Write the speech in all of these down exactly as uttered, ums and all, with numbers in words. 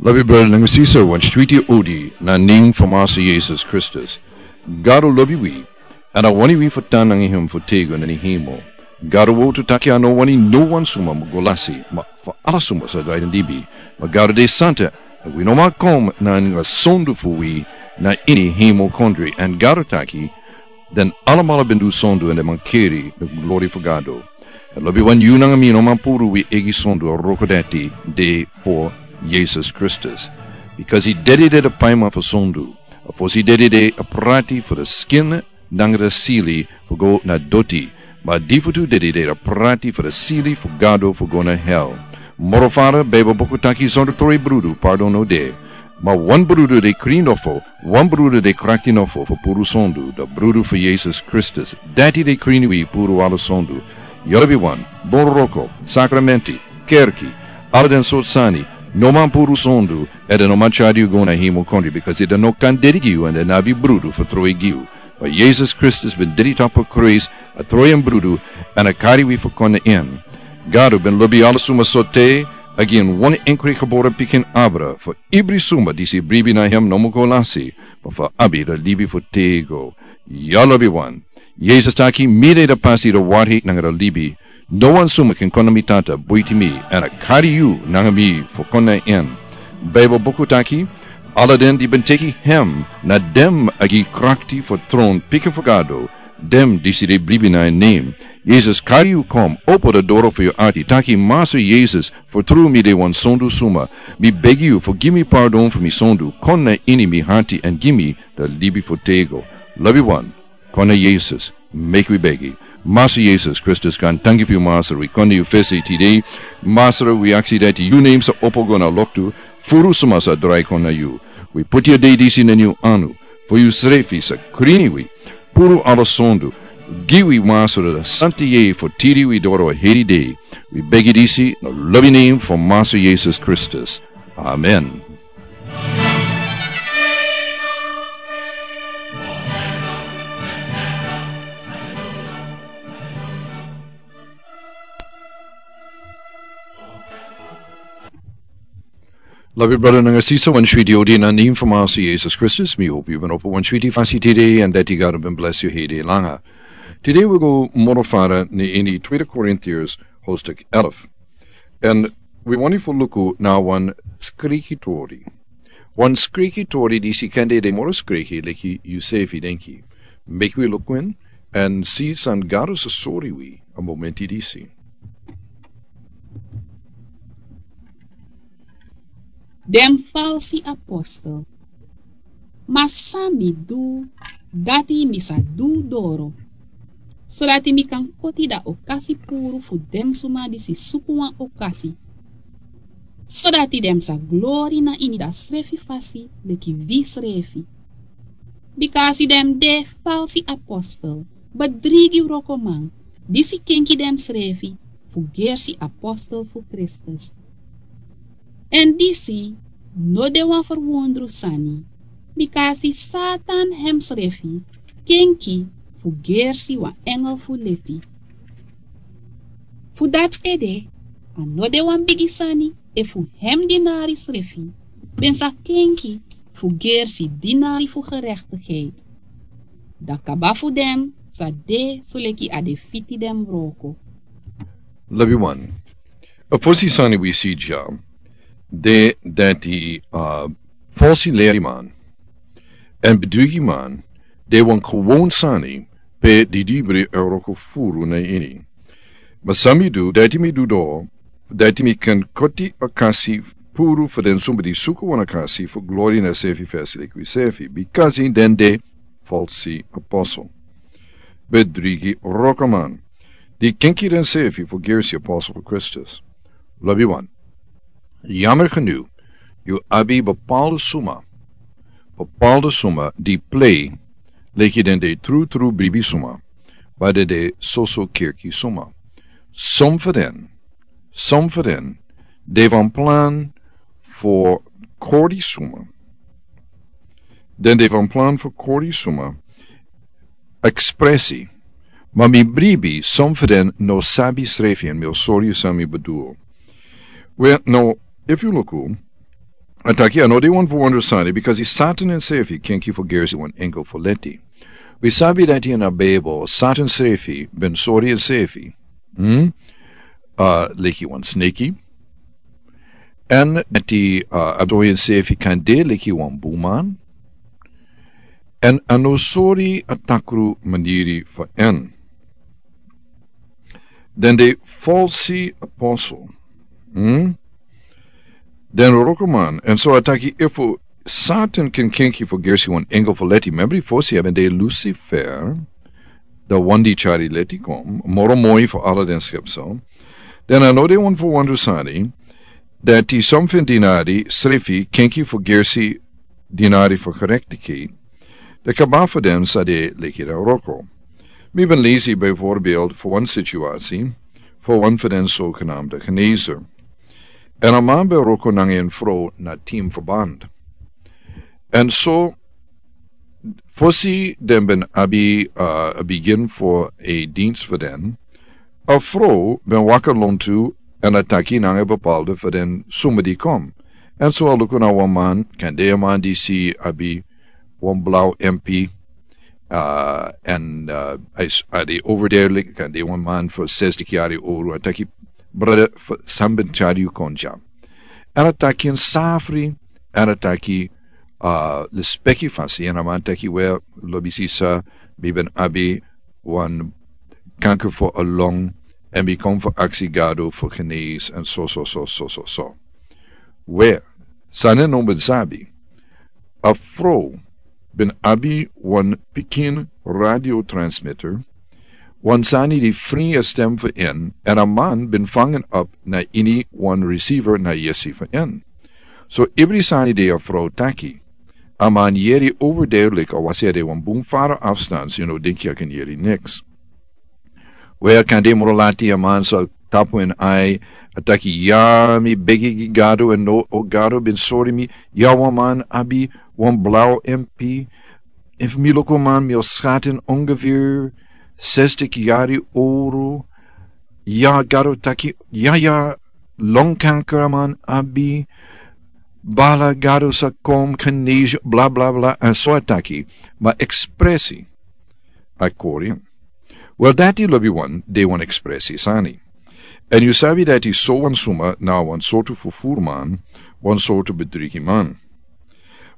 Lobi brada nanga sisa, wan switi odi na nen fu Masa Yesus Kristus. Gado lobi wi, èn a wani wi fu tan nanga hem fu tego na ni hemel. Gado wowtu taki a no wani no wan suma mu go lasi, ma fu ala suma sa drai den libi. Ma Gado de santa, èn wi no man kon nanga sondu fu wi na ini hemel kondre, èn Gado taki, den alamala ben du sondu èn den man keri den glori fu Gado. Èn lobi wan yu nanga mi no man puru wi eigi sondu, a wroko dati de fu Yesus Kristus. Bikasi dede de a paiman fu sondu. A fosi dede de a prati fu a skin nanga a sili fu go na doti. Ma a difutu dede de a prati fu a sili fu Gado fu go na hel. Moro fara, Beibel buku taki sondu tron brudu, pardon no de. Ma wan brudu de krin nofo, wan brudu de krakti nofo fu puru sondu, a brudu fu Yesus Kristus. Dati de krin wi puru ala sondu. Yu lobi wan, bun wroko, sakramenti, kerki, ala den sortu sani, no man puru sondu, èn den no man tyari yu go na hemel kondre, bikasi den no kan dede gi yu èn den no abi brudu fu tron gi yu. Ma Yesus Kristus ben dede tapu a krusu, a tron en brudu, èn a kari wi fu kon na en. Gado ben lobi ala suma so te a gi en wan enkri gebore pikin abra, fu ibri suma disi bribi na hem no mu go lasi, ma fu abi a libi fu tego. Yu lobi wan. Yesus taki, mi de a pasi, a warheid nanga a libi. No wan suma kan kon na mi Tata buiti mi, èn a kari yu nanga mi fu kon na en. Beibel buku taki, ala den di ben teki hem, na den a gi krakti fu tron pikin fu Gado, den disi de bribi na en nen. Yesus kari yu kon, opo a doro fu yu arti, taki, Masa Yesus, fu tru mi de wan sondu suma. Mi begi yu fu gi mi pardon fu mi sondu, kon na ini mi arti èn gi mi a libi fu tego. Lobi wan. Kon na Yesus, meki wi begi. Masa Yesus Kristus, kan tanki fu yu Masa, wi kon na yu fesi tide. Masa, wi aksi dati yu nen sa opo go na loktu, furu suma sa drai kon na yu. Wi puti a dei disi na yu anu, fu yu srefi sa krini wi, puru ala sondu, gi wi Masa a santa yeye fu tiri wi doro a heri dei. Wi begi disi na lobi nen fu Masa Yesus Kristus. Amen. Lobi brada nanga sisa, wan switi odi na nen fu Masa Yesus Kristus, mi hopi yu ben opo wan switi fasi tide, èn dati Gado ben blesi yu heri langa. Tide wi go moro fara na ini Tweede Korintiërs hoofdstuk elf. Èn wi wani fu luku na wan skrikitori. Wan skrikitori disi kan de moro skriki leki yu sefi denki. Meki wi luku en, èn si san Gado sa sori wi a momenti disi. Den falsi apostel. Ma san mi du, dati mi sa du doro, sodati mi kan koti den okasi puru fu den suma disi suku wan okasi, sodati den sa glori na ini densrefi fasi leki wi srefi. Bikasi den de falsi apostel, bedrigi wrokoman, disi kenki densrefi fu gersi apostel fu Kristus. Èn disi no de wan ferwondru sani, bikasi Satan hemsrefi kenki fu gersi wan engel fu leti. Fu dati ede, a no de wan bigi sani efu hem dinari srefi ben sa kenki fu gersi dinari fu gerechtigheid. Dan kaba fu den sa de soleki a de fiti den wroko. Lobi wan. A fosi sani wi si dya, de dati, uh, falsi leriman èn bedrigiman, de wan gewoon sani pe didibri e wroko furu na ini. Ma san mi du, dati mi du doro, dati mi kan koti okasi puru fu den suma di suku wan okasi fu glori na srefi fesi leki wi srefi, bikasi den de falsi apostel. Bedrigi wrokoman, di kenki densrefi fu gersi apostel fu Kristus. Lobi wan. Yammer genoeg, yu abi bepaalde suma, bepaalde suma di plei leki den de trutru bribi suma, ma den de soso kerki suma. Som fu den, som fu den, de wan plan fu kori suma. Den de wan plan fu kori suma, ekspresi. Ma mi bribi, som fu den no sabi srefi èn mi o sori yu san mi bedoel. Wel, no, efu yu luku, A taki a no de wan fu wondro sani, bikasi Satan ensefi kenki fu gersi wan engel fu leti. Wi sabi dati ini a Bijbel, Satan srefi ben sori ensefi. Hmm? Uh, leki wan sneki. En dati uh, a sori ensefi kan de leki wan buman. En a no sori a takru maniri fu en. Den de falsi apostel. Hmm? Den rokoman, en so a taki efu Satan ken kenki fu gersi wan engel fu leti, membri fosi a ben de Lucifer, da wan di tyari leti kon, moro moi fu ala den skepsel. Den a no de wan fu wondro sani, dati somfen dinari srefi kenki fu gersi dinari fu gerechtigheid, de kaba fu den sa de leki den roko. Mi ben lesi bijvoorbeeld fu wan situasi, fu wan fu den zogenaamde genezer. En a man ben roko nanga en fro na team verband. En so, fosi den ben abi uh, a begin fu a dienst fu den, a fro ben waka lontu en a taki nanga bepaalde fu den suma di kom. En so a luku na wan man, kan de a man di si abi wan blauw M P, uh, en uh, a is a de overduidelijk, kan de wan man fu zestig yari oru, a taki brother fu san ben tyari yu kon dya. En a taki en safri, en a taki uh, lespeki fasi, en a man taki wel, lobi sisa, mi ben abi wan kanker fu a long, en mi kon fu aksi Gado fu genees, en so, so, so, so, so, so. Wel, sani no ben sabi. A fro ben abi wan pikin radio transmitter, wan sani di fri a stem fu en, en a man ben fangen op na ini wan receiver na yesi fu en. So, ibri sani de a fro taki. A man yeri overduidelijk, a wasi a de wan bun fara afstand, so yu no denki a kan yeri niks. Wel, kan de moro lati a man so tapu en ai, a taki ya mi begi gi Gado, en no, o Gado ben sori mi, ya wan man abi wan blauw M P, efu mi loko man mi o schatten ongeveer zestig yari oru, ya Gado taki, ya, ya, longkanker a man abi, bala Gado sa kom, genees yu, bla, bla, bla, en so a taki, ma ekspresi a kori. Wel, dati lobi wan, de wan ekspresi sani. En yu sabi dati so wan suma na wan sortu fufuru man, wan sortu bedrigi man.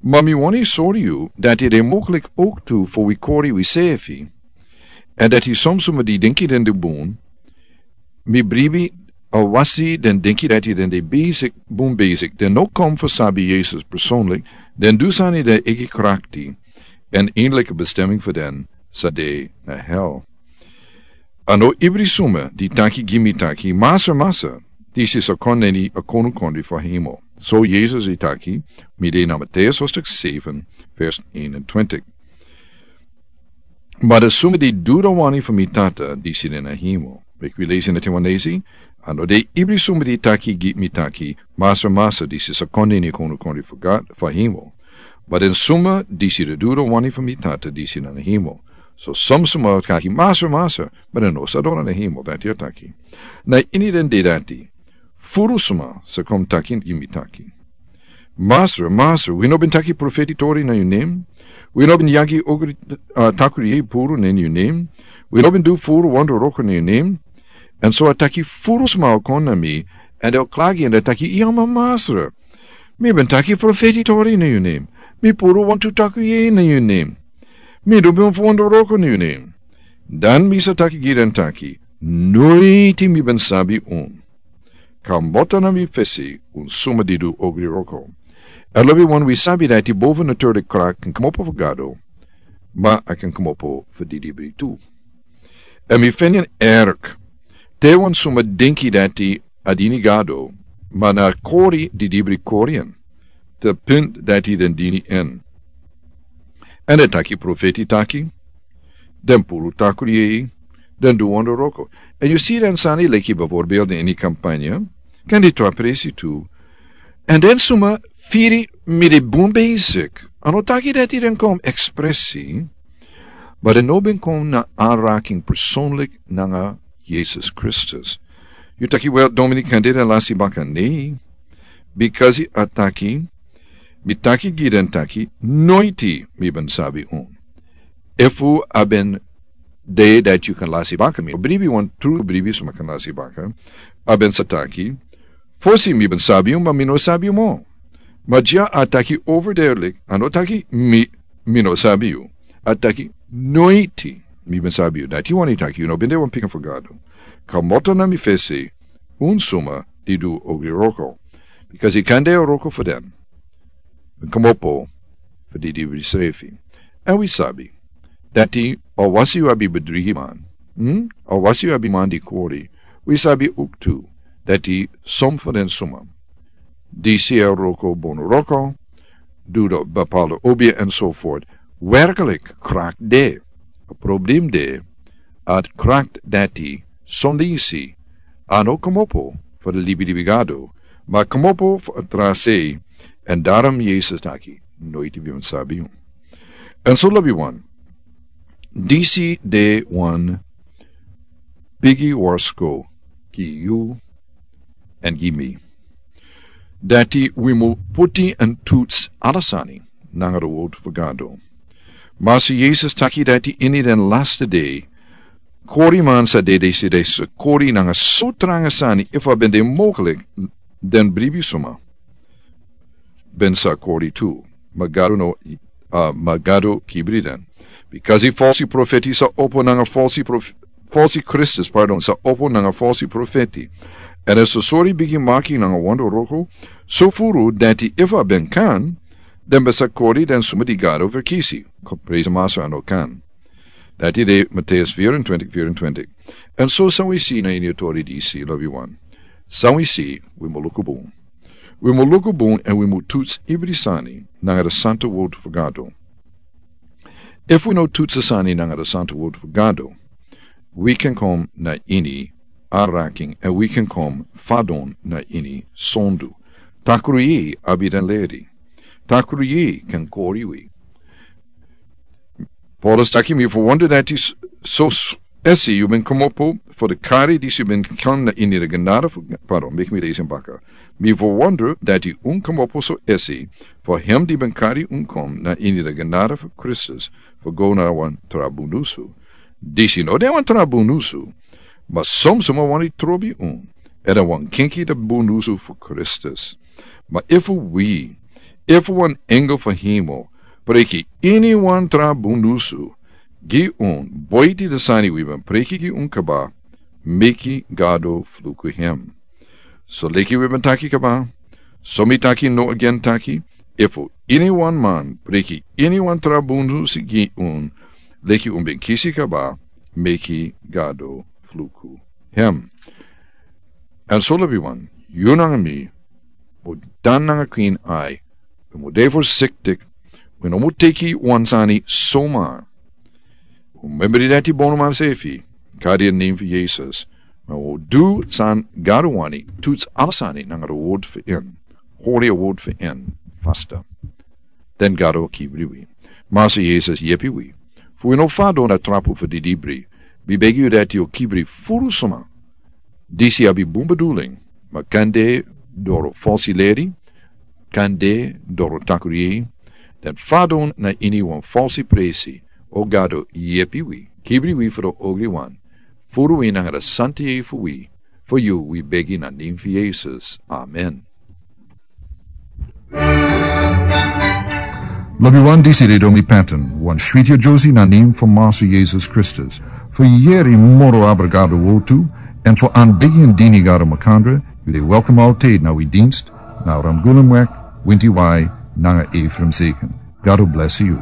Ma mi wani sori yu dati de moklik ook tu fu wi kori wi sefi. En dati som suma di denki den de bun, mi bribi a wasi den denki dati den de basic, bun basic, den no kom fu sabi Yesus persoonlijk, den du sani den eki krakti, en eindelijke bestemming fu den sa de na hel. A no ibri suma di taki gi mi taki, Master, Master, disi sa kon na ini a konunkondri fu hemel. So Yesus di taki, mi de na Matthäus hoofdstuk seven, vers eenentwintig. Ma den suma di du den wani fu mi Tata, disi de na hemel. Meki wi lesi na te wan lesi. A no de ibri suma di taki gi mi taki, Master, Master, disi sa kon na ini a konunkondri fu God, fu hemel. Ma den suma disi di du den wani fu mi Tata disi na hemel. So som suma taki, Master, Master, ma den no sa doro na hemel, dati a taki. Na ini den de dati, furu suma sa kon taki gi mi taki, Master, Master, wi no ben taki profeti tori na yu nen? Wi no ben yagi ogri, uh, takru yeye puru na yu nen? Wi no ben du furu wondro wroko na yu nen? En so a taki furu sma o kon na mi, en den o klagi en den taki, ya ma Master, mi ben taki profeti tori na yu nen. Mi puru wantu takru yeye na yu nen. Mi du ben fu wondro wroko na yu nen. Dan mi sa taki gi den taki, noiti mi ben sabi un. Kmoto na mi fesi, un suma di du ogri wroko. A lobi wan wi sabi dati bovenatuurlijk kracht kan kmopo fu Gado, ma a kan kmopo fu didibri tu. En mi feni en erg, te wan suma denki dati a dini Gado, ma na kori didibri kori en, te punt dati den dini en. En den taki profeti taki, den puru takru yeye, den du wondro wroko. En yu si den sani leki bijvoorbeeld ini kampanye, kan di tra presi tu. En den suma firi mi de bun bezig. A no taki dati den kon ekspresi, ma den no ben kon na aanraking persoonlijk nanga Yesus Kristus. Yu taki, wel, Dominic, kan de den lasi baka? Nee. Because a taki, Mi taki gi den taki, noiti mi ben sabi un. Efu a ben de dati yu kan lasi baka mi, o bribi wan tru bribi suma kan lasi baka, a ben sa taki, fosi mi ben sabi un, ma mi no sabi un mo. Ma dya a taki over there, like, a no taki mi, mi no sabi un. A taki, noiti mi ben sabi un. Dati wani taki, yu no ben de wan pikin fu Gado. Komoto na mi fesi, un suma di du ogri wroko. Bikasi yu kan de wroko fu den. Komopo fu di dibri srefi. Èn wi sabi dati, o wasi yu abi bedrigiman, hmm? O wasi yu abi man di kori, wi sabi uktu dati som fu den suma disi e wroko bonu wroko, du do bapalo obi enzovoort, werklik krak de. A problem de, a krak dati sondisi a no komopo fu di libi libi Gado, ma komopo fu a tra sei. Èn darom Yesus taki, noiti mi ben sabi un. Èn so lobi wan, disi de wan bigi warsko gi yu èn gi mi. Dati wi mu puti èn tuts ala sani nanga di word fu Gado. Master Yesus taki dati ini den laste dei, koriman sa dede si den sa kori nanga so tranga sani, efu a ben de mogelijk den bribi suma ben sa kori tu. Ma Gado no, a, ma Gado kibri den. Bikasi falsi profeti sa opo nanga falsi prof-, falsi Kristus, pardon, sa opo nanga falsi profeti. Èn a so sori bigi maki nanga wonder wroko, so furu dati efu a ben kan, den ben sa kori den suma di Gado verkisi. Ko prezi Master a no kan. Dati de Mateus vierentwintig, vierentwintig. Èn so san wi si na ini a tori disi, lobi wan. San wi si, wi mu luku bun. Wi mu luku bun èn wi mu tuts ibri sani nanga di santa word fu Gado. Efu wi no tuts a sani nanga di santa word fu Gado, wi kan kom na ini araking, èn wi kan kom fadon na ini sondu. Takru yeye abi den leri. Takru yeye kan kori wi. Paulus taki, mi verwonder dati s-, so s-, esi yu ben komopo fu di kari disi yu ben kan na ini di genade fu, pardon, meki mi lesi en baka. Mi verwonder dati un komopo so esi fu hem di ben kari un kom na ini di genade fu Kristus fu go na wan tra bundusu. Disi no de wan tra bundusu, ma son suma wani trobi un, èn a wani kenki di bundusu fu Kristus. Ma efu wi, efu wan engel fu hemel, preki ini wan tra bundusu gi un, boiti di sani wi ben preki gi un kaba, meki Gado fluku hem. So leki wi ben taki kaba, so mi taki no agen taki, efu ini wan man preki ini wan tra bundusu gi un, leki un ben kisi kaba, meki Gado fluku hem. Èn so lobi wan, yu nanga mi, mu tan nanga kwin ai, wi mu de forsiktik, wi no mu teki wan sani somar. Wi mu membri dati bonuman sefi, kari a nen fu Yesus, ma wi mu du san Gado wani, tuts ala sani nanga a word fu en, hori a word fu en fasta. Den Gado kibri wi. Master Yesus yepi wi fu wi no fadon na trapu fu di dibri. Mi begi yu dati yu kibri furu suma disi abi bun bedoeling, ma kan de doro falsi leri, kan de doro takru yeye, den fadon na ini wan falsi presi. O Gado yepi wi, kibri wi fu di ogri wan, furu wi nanga di santa yeye fu wi. Fu yu wi begi na nen fu Yesus. Amen. Lobi wan, disi de Domi Patton, wan switi a Josi na nen fu Master Yesus Kristus. Fu yeri moro abra Gado wortu, èn fu anbegi en dini Gado makandra, yu de welkom altijd na wi dienst, na Ramgulumweg, Winti Wai, nanga Ephraim Zeken. Gado bless yu.